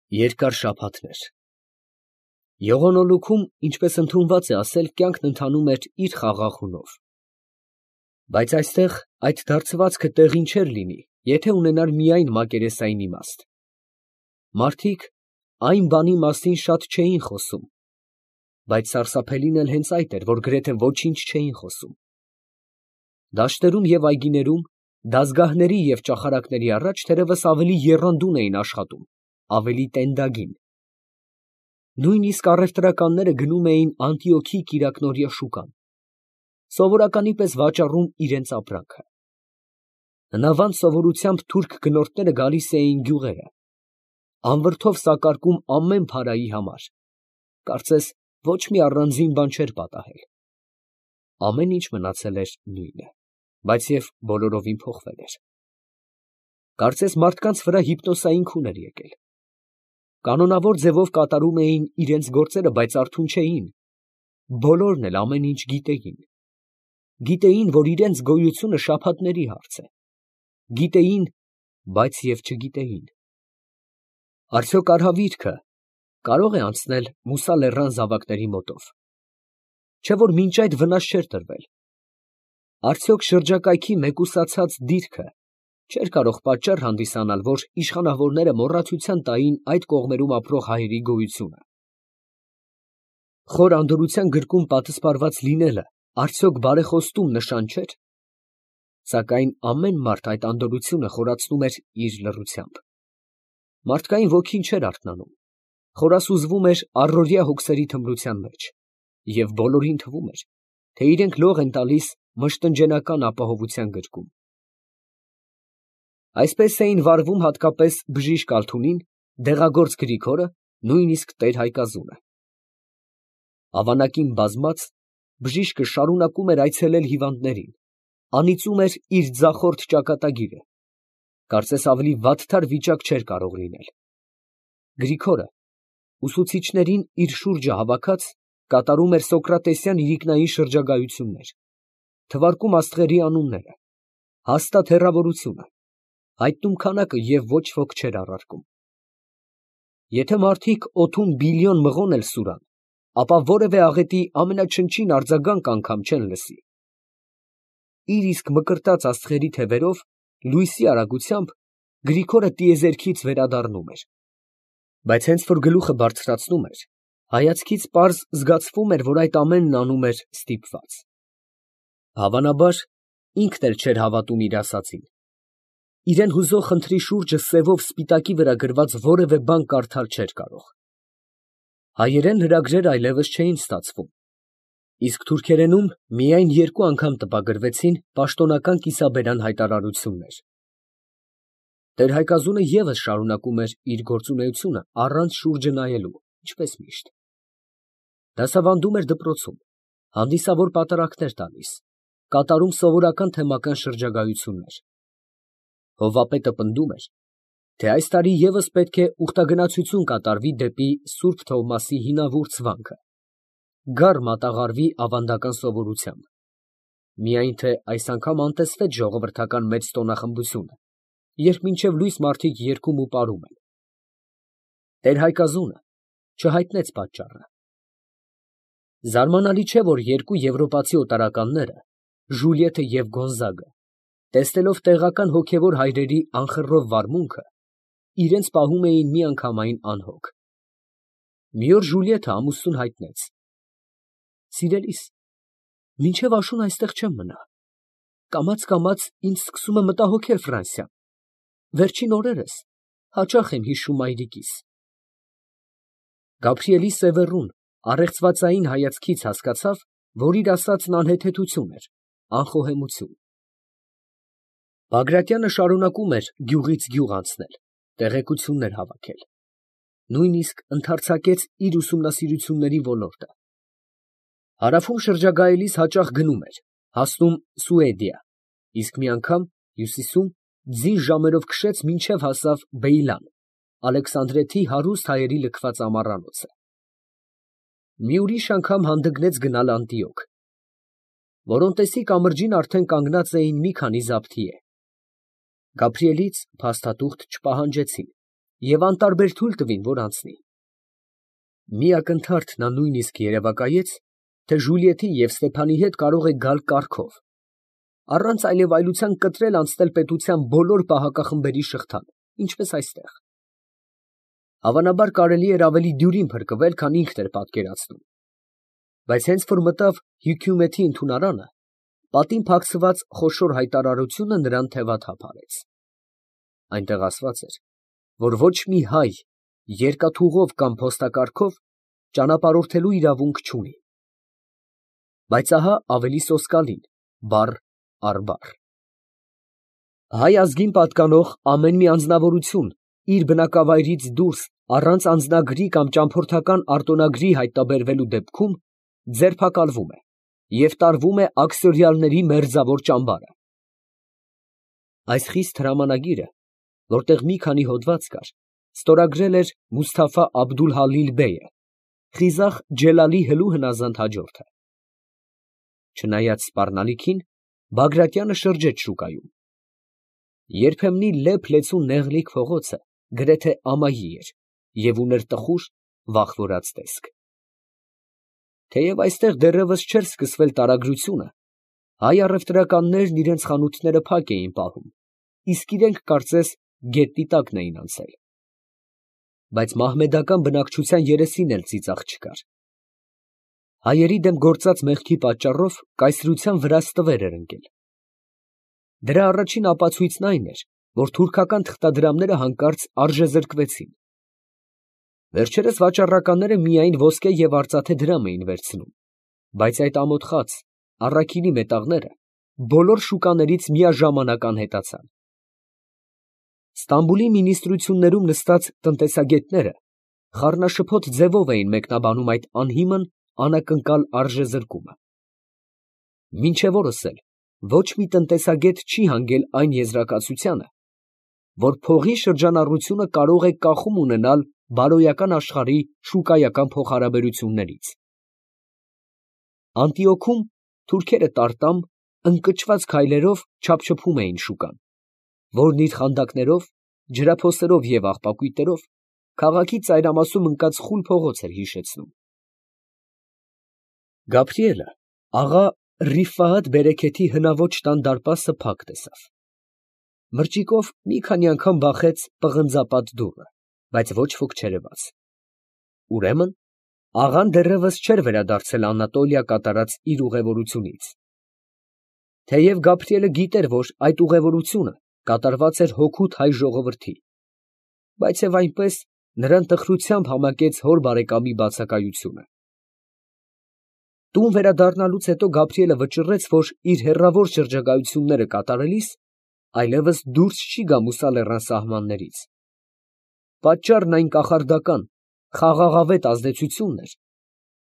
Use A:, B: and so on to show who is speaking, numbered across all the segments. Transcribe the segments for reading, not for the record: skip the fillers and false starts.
A: Երկար շաբաթներ։ Եղոնոլուքում, ինչպես ընդունված է ասել, կյանքն ընթանում էր իր խաղաղունով։ Բայց այստեղ այդ դարձվածքը տեղին չէր լինի, եթե ունենար միայն մակերեսային իմաստ։ Մարդիկ այն բանի մասին շատ չէին խոսում, բայց սարսափելին էլ հենց այդ էր, որ գրեթե ոչինչ չէին խոսում։ Դաշտերում և այգիներում, դազգահների և ճախարակների առաջ թերևս ավելի եռանդուն էին աշխատում, ավելի տենդագին։ Նույնիսկ առևտրականները գնում էին Անտիոքի կիրակնօրյա շուկան, սովորականի պես վաճառում իրենց ապրանքը։ Հնավանդ սովորությամբ թուրք գնորդները գալիս էին գյուղերը, անվրդով սակարկում ամեն փարայի համար, կարծես ոչ մի առանձին բան չէր պատահել։ Ամեն ինչ մնացել էր նույնը, բայց և բոլորովին փոխվել էր։ Կարծես մարդկանց վրա հիպնոսային քուն էր եկել։ Կանոնավոր ձևով կատարում էին իրենց գործերը, բայց արթուն չէին։ Բոլորն էլ ամեն ինչ գիտեին։ Գիտեին, որ իրենց գոյությունը շաբաթների հարց է։ Գիտեին, բայց և չգիտեին։ Արդյոք արհավիրքը կարող է անցնել Մուսա լեռան զավակների մոտով, չէ՞ որ մինչ այդ վնաս չէր տրվել։ Արդյոք շրջակայքի մեկուսացած դիրքը չէր կարող պատճառ հանդիսանալ, որ իշխանավորները մոռացության տային այդ կողմերում ապրող հայերի գոյությունը։ Խոր անդորրության գրկում պատսպարված լինելը արդյոք բարեխոստում նշան չէր։ Սակայն ամեն մարդ այդ անդորրությունը խորացնում էր իր լռությամբ։ Մարդկային ոգին չէր արթնանում, խորասուզվում էր առօրյա հոգսերի թմրության մեջ, և բոլորին թվում էր, թե իրենք լող են տալիս մշտնջենական ապահովության գրկում։ Այսպես էին վարվում հատկապես բժիշկ Ալթունին, դեղագործ Գրիգորը, նույնիսկ տեր֊Հայկազունը։ Ավանակին բազմած, բժիշկը շարունակում էր այցելել հիվանդներին, անիծում էր իր ձախորդ ճակատագիրը, կարծես ավելի վատթար վիճակ չէր կարող լինել։ Գրիգորը, ուսուցիչներին իր շուրջը հավաքած, կատարում էր սոկրատեսյան իրիկնային շրջագայություններ, թվարկում աստղերի անունները, հաստատ հեռավորությունը, հայտնում քանակը և ոչ ոք չէր առարկում։ Եթե մարդիկ օդում բիլիոն մղոն էլ սուրան, ապա որևէ աղետի ամենաչնչին արձագանք անգամ չեն լսի։ Իր իսկ մկրտած աստղերի թևերով, լույսի արագությամբ Գրիգորը տիեզերքից վերադառնում էր։ Բայց հենց որ գլուխը բարձրացնում էր, հայացքից պարզ զգացվում էր, որ այդ ամենն անում էր ստիպված։ Հավանաբար, ինքն էլ չէր հավատում իր ասածին։ Իրան հուզող խնդրի շուրջը սևով սպիտակի վրա գրված որևէ բան կարդալ չէր կարող։ Հայերեն լրագրեր այլևս չէին ստացվում, իսկ թուրքերենում միայն 2 անգամ տպագրվեցին պաշտոնական կիսաբերան հայտարարություններ։ Տեր֊Հայկազունը ևս շարունակում էր իր գործունեությունը առանց շուրջը նայելու, ինչպես միշտ։ Դասավանդում էր դպրոցում, հանդիսավոր պատարակներ տալիս, կատարում սովորական թեմական շրջագայություններ։ Հովվապետը պնդում էր, թե այս տարի ևս պետք է ուխտագնացություն կատարվի դեպի Սուրբ Թովմասի հինավուրց վանքը, գառ մատաղարվի ավանդական սովորությամբ, միայն թե այս անգամ անտեսվեց ժողովրդական մեծ տոնախմբությունը, երբ մինչև լույս մարդիկ երգում ու պարում են։ Տեր֊Հայկազունը չհայտնեց պատճառը։ Զարմանալի չէ, որ 2 եվրոպացի օտարականները, Ժուլիետը և Գոնզագը, տեսնելով տեղական հոգևոր հայրերի անխռով վարմունքը, իրենց պահում էին միանգամայն անհոգ։ Մի օր Ժուլիետը ամուսնուն հայտնեց. «Սիրելիս, մինչև աշուն այստեղ չեմ մնա, կամաց ինձ սկսում է մտահոգել Ֆրանսիան, վերջին օրերս հաճախ եմ հիշում մայրիկիս»։ Գաբրիելի սևեռուն, առեղծվածային հայացքից հասկացավ, որ իր ասածն անհեթեթություն էր, անխոհեմություն։ Բագրատյանը շարունակում էր գյուղից գյուղ անցնել, տեղեկություններ հավաքել, նույնիսկ ընդարձակեց իր ուսումնասիրությունների ոլորտը։ Հարավում շրջագայելիս հաճախ գնում էր, հասնում Սուեդիա, իսկ մի անգամ հյուսիսում ձին ժամերով քշեց մինչև հասավ Բեյլան, Ալեքսանդրեթի հարուստ հայերի լքված ամառանոցը։ Մի ուրիշ անգամ հանդգնեց գնալ Անտիոք։ Որոնտեսի կամրջին արդեն կանգնած էին մի քանի զաբթիե։ Գաբրիելից փաստաթուղթ չպահանջեցին, և անտարբեր թույլ տվին, որ անցնի։ Մի ակնթարթ նա նույնիսկ երևակայեց, թե Ժուլիետի և Ստեփանի հետ կարող է գալ կառքով, առանց այլևայլության կտրել անցնել պետության բոլոր պահակախմբերի շղթան, ինչպես այստեղ։ Հավանաբար կարելի էր ավելի դյուրին փրկվել, քան ինքն էր պատկերացնում, բայց հենց որ մտավ Հյությումեթի ընդունարանը, պատին փակցված խոշոր հայտարարությունը նրան թևաթափ արեց։ Այնտեղ ասված էր, որ ոչ մի հայ երկաթուղով կամ փոստակառքով ճանապարհորդելու իրավունք չունի։ Բայց ահա ավելի սոսկալին, բառ առ բառ. հայ ազգին պատկանող ամեն մի անձնավորություն իր բնակավայրից դուրս առանց անձնագրի կամ ճամփորդական արտոնագրի հայտնաբերվելու դեպքում ձերբակալվում է և տարվում է աքսորիալների մերձավոր ճամբարը։ Այս խիստ հրամանագիրը, որտեղ մի քանի հոդված կար, ստորագրել էր Մուսթաֆա Աբդուլ֊Հալիլ բեյը, Խիզախ Ջելալի հլու հնազանդ հաջորդը։ Չնայած սպառնալիքին, Բագրատյանը շրջեց շուկայում։ Երբեմնի լեփ֊լեցուն նեղլիկ փողոցը գրեթե ամայի էր և ուներ տխուր, վախվորած տեսք։ Թեև այստեղ դեռևս չէր սկսվել տարագրությունը, հայ առևտրականներն իրենց խանութները փակ էին պահում, իսկ իրենք կարծես գետնի տակն էին անցել։ Բայց մահմեդական բնակչության երեսին էլ ծիծաղ չկար։ Հայերի դեմ գործած մեղքի պատճառով կայսրության վրա ստվեր էր ընկել։ Դրա առաջին ապացույցն այն էր, որ թուրքական թղթադրամները հանկարծ արժեզրկվեցին։ Վերջերս վաճառականները միայն ոսկե և արծաթե դրամ էին վերցնում, բայց այդ ամոթխած առաքինի մետաղները բոլոր շուկաներից միաժամանակ անհետացան։ Ստամբուլի մինիստրություններում նստած տնտեսագետները խառնաշփոթ ձևով էին մեկնաբանում այդ անհիմն, անակնկալ արժեզրկումը։ Մինչև օրս էլ ոչ մի տնտեսագետ չի հանգել այն եզրակացությանը, որ փողի շրջանառությունը կարող է կախում ունենալ բարոյական աշխարհի շուկայական փոխհարաբերություններից։ Անտիոքում թուրքերը տարտամ, ընկճված քայլերով չափչփում էին շուկան, որն իր խանդակներով, ջրափոսերով և աղբակույտերով քաղաքի ծայրամասում ընկած խուլ փողոց էր հիշեցնում։ Գաբրիելը աղա Ռիֆահաթ Բերեքեթի հնաոճ տան դարպասը փակ տեսավ։ Մրճիկով մի քանի անգամ բախեց պղնձապատ դուռը, բայց ոչ ոք չերևաց։ Ուրեմն աղան դեռևս չէր վերադարձել Անատոլիա կատարած իր ուղևորությունից։ Թեև Գաբրիելը գիտեր, որ այդ ուղևորությունը կատարված էր հօգուտ հայ ժողովրդի, բայց և այնպես նրան տխրությամբ համակեց հոր բարեկամի բացակայությունը։ Տուն վերադառնալուց հետո Գաբրիելը վճռեց, որ իր հեռավոր շրջագայությունները կատարելիս այլևս դուրս չի գա Մուսա լեռան սահմաններից։ Պատճառն այն կախարդական, խաղաղավետ ազդեցությունն էր,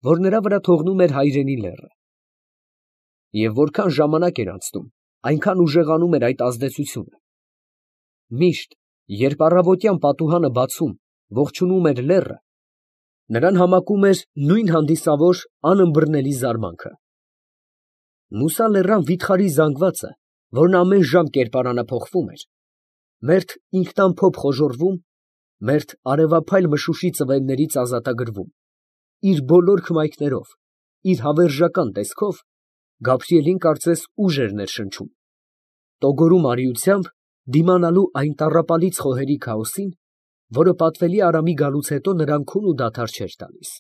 A: որ նրա վրա թողնում էր հայրենի լեռը։ Եվ որքան ժամանակ էր անցնում, այնքան ուժեղանում էր այդ ազդեցությունը։ Միշտ, երբ առավոտյան պատուհանը բացում, ողջունում էր լեռը, նրան համակում էր նույն հանդիսավոր անըմբռնելի զարմանքը։ Մուսա լեռան վիթխարի զանգվածը, որն ամեն ժամ կերպարանափոխվում էր, մերթ ինքնամփոփ խոժոռվում, մերթ արևափայլ մշուշի ծվելներից ազատագրվում, իր բոլոր հմայքներով, իր հավերժական տեսքով, Գաբրիելին կարծես ուժ էր ներշնչում, տոգորում արիությամբ դիմանալու այն տառապալից խոհերի քաոսին, որը պատվելի Արամի գալուց հետո նրան քուն ու դադար չէր տալիս։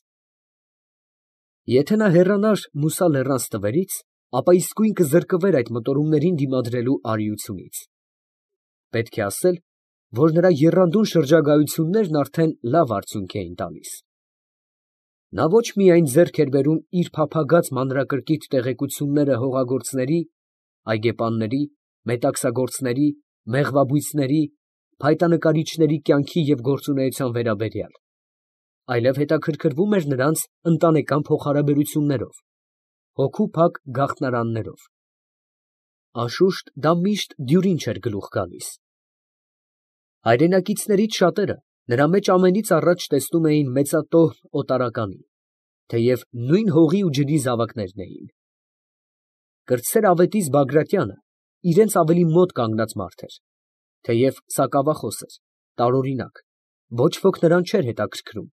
A: Եթե նա հեռանար Մուսա լեռան ստվերից, ապա իսկույն կզրկվեր այդ մտորումներին դիմադրելու արիությունից։ Պետք է ասել, որ նրա եռանդուն շրջագայություններն արդեն լավ արդյունք էին տալիս։ Նա ոչ միայն ձեռք էր բերում իր փափագած մանրակրկիտ տեղեկությունները հողագործների, այգեպանների, մետաքսագործների, մեղվաբույծների, փայտանկարիչների կյանքի և գործունեության վերաբերյալ, այլև հետաքրքրվում էր նրանց ընտանեկան փոխհարաբերություններով, հոգու փակ գաղթարաններով։ Անշուշտ դա միշտ դյուրին չէր գլուխ գալիս։ Հայրենակիցներից շատերը նրա մեջ ամենից առաջ տեսնում էին մեծատոհ օտարականին, թեև նույն հողի ու ջրի զավակներն էին։ Կրտսեր ավետիս Բագրատյանը իրենց ավելի մոտ կանգնած մարդ էր, թեև սակավախոս էր, տարօրինակ, Ոչ ոք նրան չէր հետաքրքրում,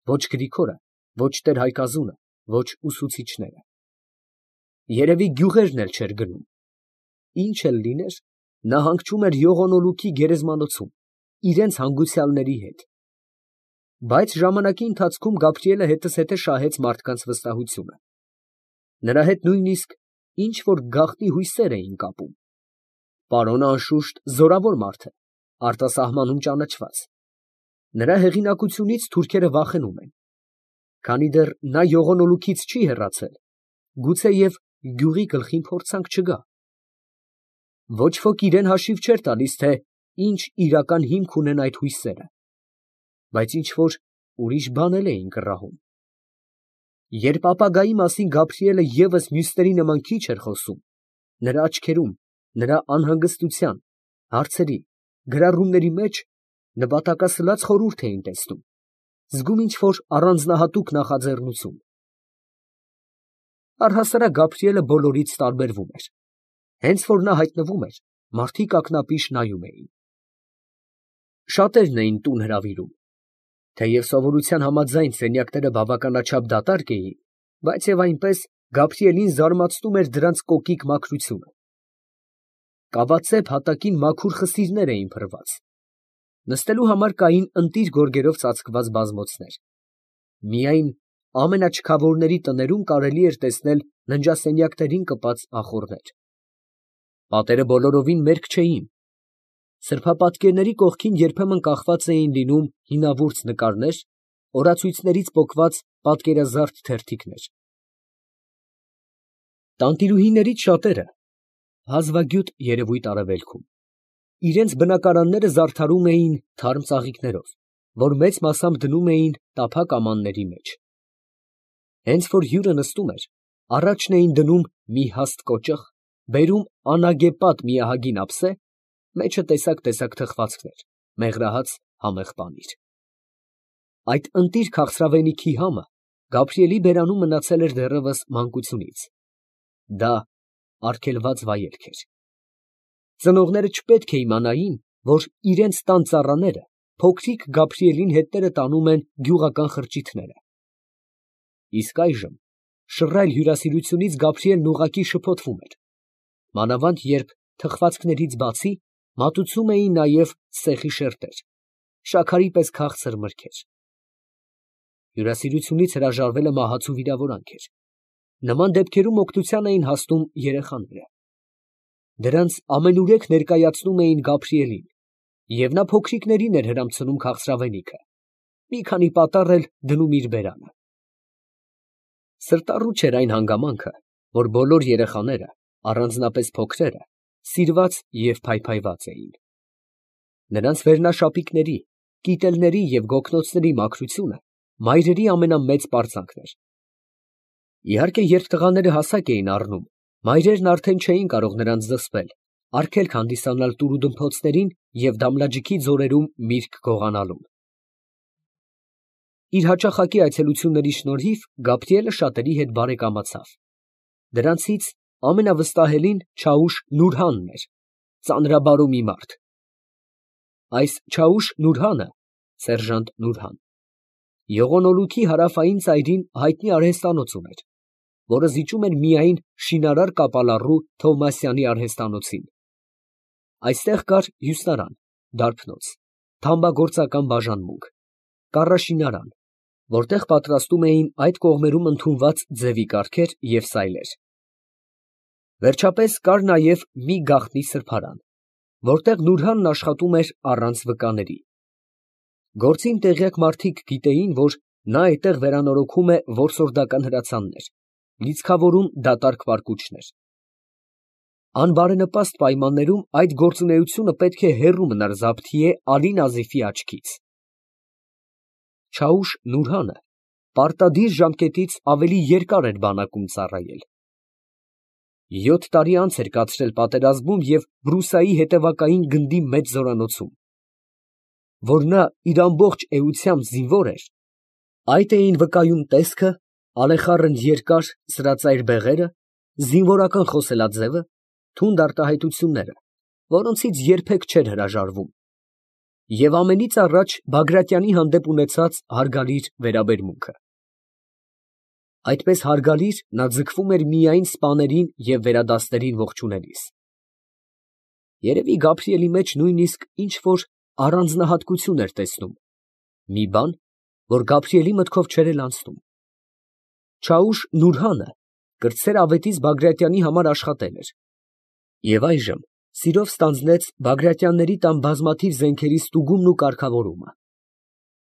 A: ոչ Գրիգորը, ոչ տեր-Հայկազունը, ոչ ուսուցիչները։ Երևի գյուղերն էլ չէր գնում։ Ինչ էլ լիներ, նա հանգչում էր Յողոնոլուքի գերեզմանոցում, իրենց հանգուցյալների հետ։ Բայց ժամանակի ընթացքում Գաբրիելը հետզհետե շահեց մարդկանց վստահությունը։ Նրա հետ նույնիսկ ինչ որ գաղտնի հույսեր էին կապում։ Պարոնը անշուշտ զորավոր մարդ է, արտասահմանում ճանաչված։ Նրա հեղինակությունից թուրքերը վախենում են։ Քանի դեռ նա Յողոնոլուքից չի հեռացել, գուցեև գյուղի գլխին փորձանք չգա։ Ոչ ոք իրան հաշիվ չէր տալիս, թե ինչ իրական հիմք ունեն այդ հույսերը, բայց ինչ որ ուրիշ բան էլ էին կռահում։ Երբ ապագայի մասին Գաբրիելը ևս մյուսների նման քիչ էր խոսում, նրա աչքերում, նրա անհանգստության, հարցերի, գրառումների մեջ նպատակասլաց խորհուրդ էին տեսնում, զգում ինչ որ առանձնահատուկ նախաձեռնություն։ Առհասարակ Գաբրիելը բոլորից տարբերվում էր։ Հենց որ նա հայտնվում էր, մարդիկ ակնապիշ նայում էին։ Շատերն էին տուն հրավիրում։ Թեև սովորության համաձայն սենյակները բավականաչափ դատարկ էին, բայց և այնպես Գաբրիելին զարմացնում էր դրանց կոկիկ մաքրությունը։ Կավածեպ հատակին մաքուր խսիրներ էին փռված։ Նստելու համար կային ընտիր գորգերով ծածկված բազմոցներ։ Միայն ամենաչքավորների տներում կարելի էր տեսնել ննջասենյակներին կպած ախոռներ։ Պատերը բոլորովին մերկ չէին։ Սրբապատկերների կողքին երբեմն կախված էին լինում հինավուրց նկարներ, օրացույցներից պոկված պատկերազարդ թերթիկներ։ Տանտիրուհիներից շատերը հազվագյուտ երևույթ արևելքում, իրենց բնակարանները զարդարում էին թարմ ծաղիկներով, որ մեծ մասամբ դնում էին տափակ ամանների մեջ։ Հենց որ հյուրը նստում էր, առաջն էին դնում մի հաստ կոճղ, բերում անագեպատ մի ահագին ափսե, մեջը տեսակ թխվածքներ, մեղրահաց, համեղ պանիր։ Այդ ընտիր քաղցրավենիքի համը Գաբրիելի բերանում մնացել էր դեռևս մանկությունից։ Դա արգելված վայելք էր։ Ծնողները չպետք է իմանային, որ իրենց տան ծառաները փոքրիկ Գաբրիելին հետները տանում են գյուղական խրճիթները։ Իսկ այժմ շռայլ հյուրասիրությունից Գաբրիելն ուղղակի շփոթվում էր, մանավանդ երբ թխվածքներից բացի մատուցում էին նաև սեխի շերտեր, շաքարի պես քաղցր մրգեր։ Հյուրասիրությունից հրաժարվելը մահացու վիրավորանք էր։ Նման դեպքերում օգնության էին հասնում երեխաները։ Դրանց ամենուրեք ներկայացնում էին Գաբրիելին, և նա փոքրիկներին էր հրամցնում քաղցրավենիքը, մի քանի պատառ էլ դնում իր բերանը։ Սրտառուչ էր այն հանգամանքը, որ բոլոր երեխաները, առանձնապես փոքրերը, սիրված և փայփայված էին։ Նրանց վերնաշապիկների, կիտելների և գոգնոցների մաքրությունը մայրերի ամենամեծ պարծանքն էր։ Իհարկե, երբ տղաները հասակ էին առնում, մայրերն արդեն չէին կարող նրանց զսպել, արգելք հանդիսանալ տուրուդմփոցներին և դամլաջիքի ձորերում միրգ գողանալուն։ Իր հաճախակի այցելությունների շնորհիվ Գաբրիելը շատերի հետ բարեկամացավ։ Դրանցից ամենավստահելին Չաուշ Նուրհանն էր, ծանրաբարո մի մարդ։ Այս Չաուշ Նուրհանը (սերժանտ Նուրհան) Յողոնոլուքի հարավային ծայրին հայտնի արհեստանոց ուներ, որը զիջում էր միայն շինարար կապալառու Թովմասյանի արհեստանոցին։ Այստեղ կար հյուսնարան, դարբնոց, թամբագործական բաժանմունք, կառաշինարան, որտեղ պատրաստում էին այդ կողմերում ընդունված ձևի կարգեր և սայլեր։ Վերջապես կար նաև մի գաղտնի սրբարան, որտեղ Նուրհանն աշխատում էր առանց վկաների։ Գործին տեղյակ մարդիկ գիտեին, որ նա այդտեղ վերանորոգում է որսորդական հրացաններ, լիցքավորում դատարկ պարկուճներ։ Անբարենպաստ պայմաններում այդ գործունեությունը պետք է հեռու մնար Զաբթիե Ալի Նազիֆի աչքից։ Չաուշ Նուրհանը պարտադիր ժամկետից ավելի երկար էր բանակում ծառայել։ 7 տարի անց էր կացրել պատերազմում և Բրուսայի հետևակային գնդի մեծ զորանոցում։ Որ նա իր ամբողջ էությամբ զինվոր էր, այդ էին վկայում տեսքը, ալեխառն երկար սրածայր բեղերը, զինվորական խոսելաձևը, թունդ արտահայտությունները, որոնցից երբեք չէր հրաժարվում։ և ամենից առաջ Բագրատյանի հանդեպ ունեցած հարգալիր վերաբերմունքը։ Այդպես հարգալիր նա ձգվում էր միայն սպաներին և վերադասներին ողջունելիս։ Երևի Գաբրիելի մեջ նույնիսկ ինչ֊որ առանձնահատկություն էր տեսնում, մի բան, որ Գաբրիելի մտքով չէր էլ անցնում։ Չաուշ Նուրհանը կրտսեր ավետիս Բագրատյանի համար աշխատել էր և այժմ սիրով ստանձնեց Բագրատյանների տան բազմաթիվ զենքերի ստուգումն ու կարգավորումը։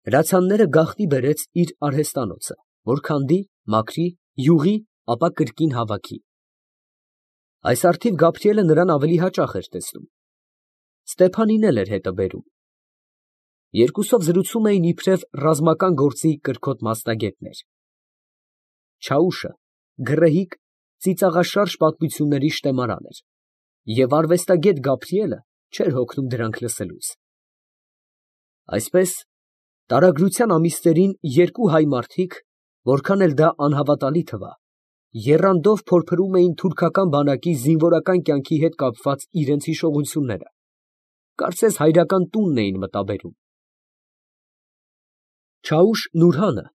A: Հրացանները գաղտնի բերեց իր արհեստանոցը, որ քանդի, մաքրի, յուղի, ապա կրկին հավաքի։ Այս առթիվ Գաբրիելը նրան ավելի հաճախ էր տեսնում։ Ստեփանին էլ էր հետը բերում։ Երկուսով զրուցում էին իբրև ռազմական գործի կրքոտ մասնագետներ։ Չաուշը գռեհիկ, ծիծաղաշարժ պատմությունների շտեմարան էր, և արվեստագետ Գաբրիելը չէր հոգնում դրանք լսելուց։ Այսպես, տարագրության ամիսներին երկու հայ մարդիկ, որքան էլ դա անհավատալի թվա, եռանդով փորփրում էին թուրքական բանակի զինվորական կյանքի հետ կապված իրենց հիշողությունները, կարծես հայրական տունն էին մտաբերում։ Չաուշ Նուրհանը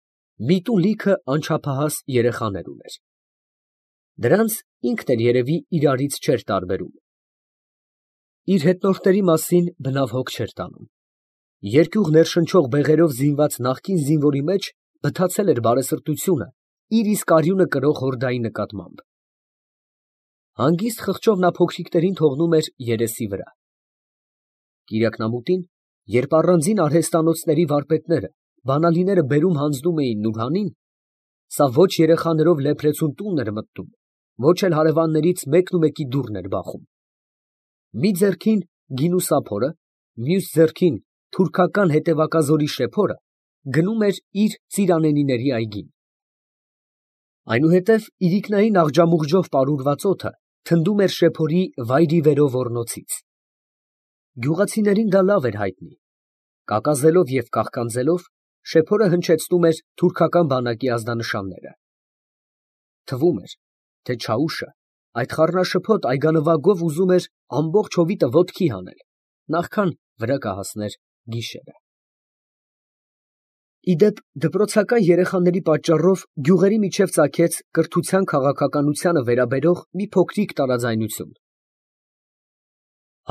A: միտու լիքը անչափահաս երեխաներ ուներ։ Դրանց ինքն էլ երևի իրարից չէր տարբերում։ Իր հետնորդների մասին բնավ հոգ չէր տանում։ Երկյուղ ներշնչող բեղերով զինված նախկին զինվորի մեջ բթացել էր բարեսրտությունը իր իսկ արյունը կրող հորդայի նկատմամբ։ Հանգիստ խղճով նա փոքրիկներին թողնում էր երեսի վրա։ Կիրակնամուտին, երբ առանձին արհեստանոցների վարպետները բանալիները բերում հանձնում էին Նուրհանին, սա ոչ երեխաներով լեփրեցուն տուն էր մտնում, ոչ էլ հարևաններից մեկնումեկի դուռն էր բախում։ Մի ձեռքին գինու սափորը, մյուս ձեռքին թուրքական հետևակազորի շեփորը գնում էր իր ծիրանենիների այգին։ Այնուհետև իրիկնային աղջամուղջով պարուրված օդը թնդում էր շեփորի վայրիվերո ոռնոցից։ Գյուղացիներին դա լավ էր հայտնի։ Կակազելով և կաղկանձելով, շեփորը հնչեցնում էր թուրքական բանակի ազդանշանները։ Թվում էր, թե Չաուշը այդ խառնաշփոթ այգանվագով ուզում էր ամբողջ հովիտը ոտքի հանել, նախքան վրա կհասներ գիշերը։ Ի դեպ, դպրոցական երեխաների պատճառով գյուղերի միջև ծագեց կրթության քաղաքականությանը վերաբերող մի փոքրիկ տարաձայնություն։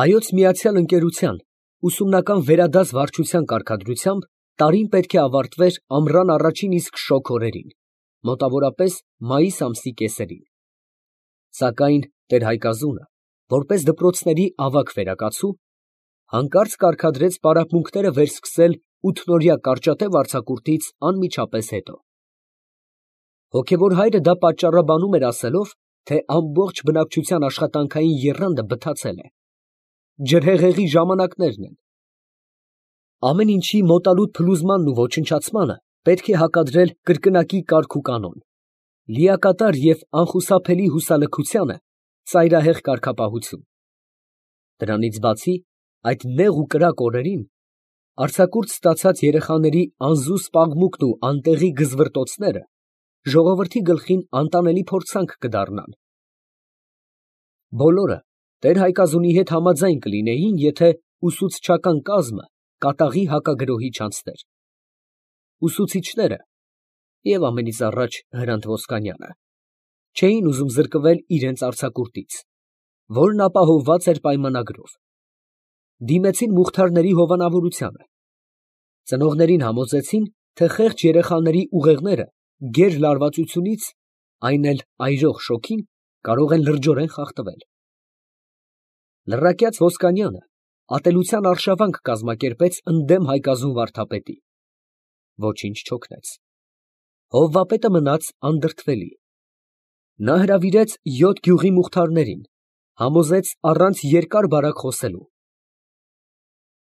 A: Հայոց Միացյալ Ընկերության ուսումնական վերադաս վարչության կարգադրությամբ տարին պետք է ավարտվեր ամռան առաջին իսկ շոգ օրերին, մոտավորապես մայիս ամսի կեսերին։ Սակայն տեր֊Հայկազունը, որպես դպրոցների ավագ վերակացու, հանկարծ կարգադրեց պարապմունքները վերսկսել ութնօրյա կարճատև արձակուրդից անմիջապես հետո։ Հոգևոր հայրը դա պատճառաբանում էր ասելով, թե ամբողջ բնակչության աշխատանքային եռանդը բթացել է։ Ջրհեղեղի ժամանակներն են։ Ամեն ինչի մոտալուտ փլուզմանն ու ոչնչացմանը պետք է հակադրել կրկնակի կարգ ու կանոն, լիակատար և անխուսափելի հուսալքությանը ծայրահեղ կարգապահություն։ Դրանից բացի, այդ նեղ ու կրակ օրերին արձակուրդ ստացած երեխաների անզուս պաղմուկն ու անտեղի գզվռտոցները ժողովրդի գլխին անտանելի փորձանք կդառնան։ Բոլորը տեր֊Հայկազունի հետ համաձայն կլինեին, եթե ուսուցչական կազմը կատաղի հակագրոհի չանցներ։ Ուսուցիչները և ամենից առաջ Հրանտ Ոսկանյանը չէին ուզում զրկվել իրենց արձակուրդից, որն ապահովված էր պայմանագրով։ Դիմեցին Մուխթարների հովանավորությանը։ Ծնողներին համոզեցին, թե խեղճ երեխաների ուղեղները գեր֊լարվածությունից, այն էլ այրող շոգին, կարող են լրջորեն խախտվել։ Լռակյաց Ոսկանյանը ատելության արշավանք կազմակերպեց ընդդեմ Հայկազուն վարդապետի։ Ոչինչ չօգնեց։ Հովվապետը մնաց անդրդվելի։ Նա հրավիրեց 7 գյուղի Մուխթարներին, համոզեց առանց երկար֊բարակ խոսելու։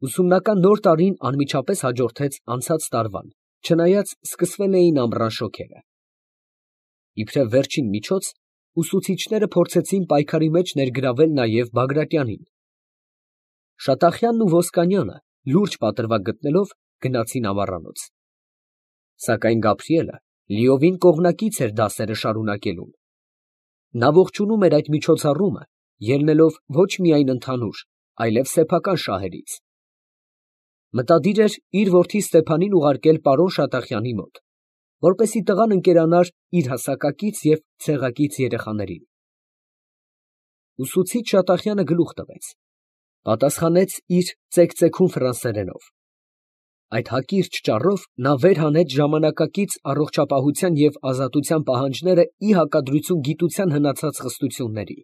A: Ուսումնական նոր տարին անմիջապես հաջորդեց անցած տարվան, չնայած սկսվել էին ամռան շոգերը։ Իբրև վերջին միջոց, ուսուցիչները փորձեցին պայքարի մեջ ներգրավել նաև Բագրատյանին։ Շատախյանն ու Ոսկանյանը, լուրջ պատրվակ գտնելով, գնացին ամառանոց։ Սակայն Գաբրիելը լիովին կողմնակից էր դասերը շարունակելուն։ Նա ողջունում էր այդ միջոցառումը, ելնելով ոչ միայն ընդհանուր, այլև սեփական շահերից։ Մտադիր էր իր որդի Ստեփանին ուղարկել պարոն Շատախյանի մոտ, որպեսզի տղան ընկերանար իր հասակակից և ցեղակից երեխաներին։ Ուսուցիչ Շատախյանը գլուխ տվեց, պատասխանեց իր ծեքծեքուն ֆրանսերենով։ Այդ հակիրճ ճառով նա վեր հանեց ժամանակակից առողջապահության և ազատության պահանջները ի հակադրություն գիտության հնացած խստությունների։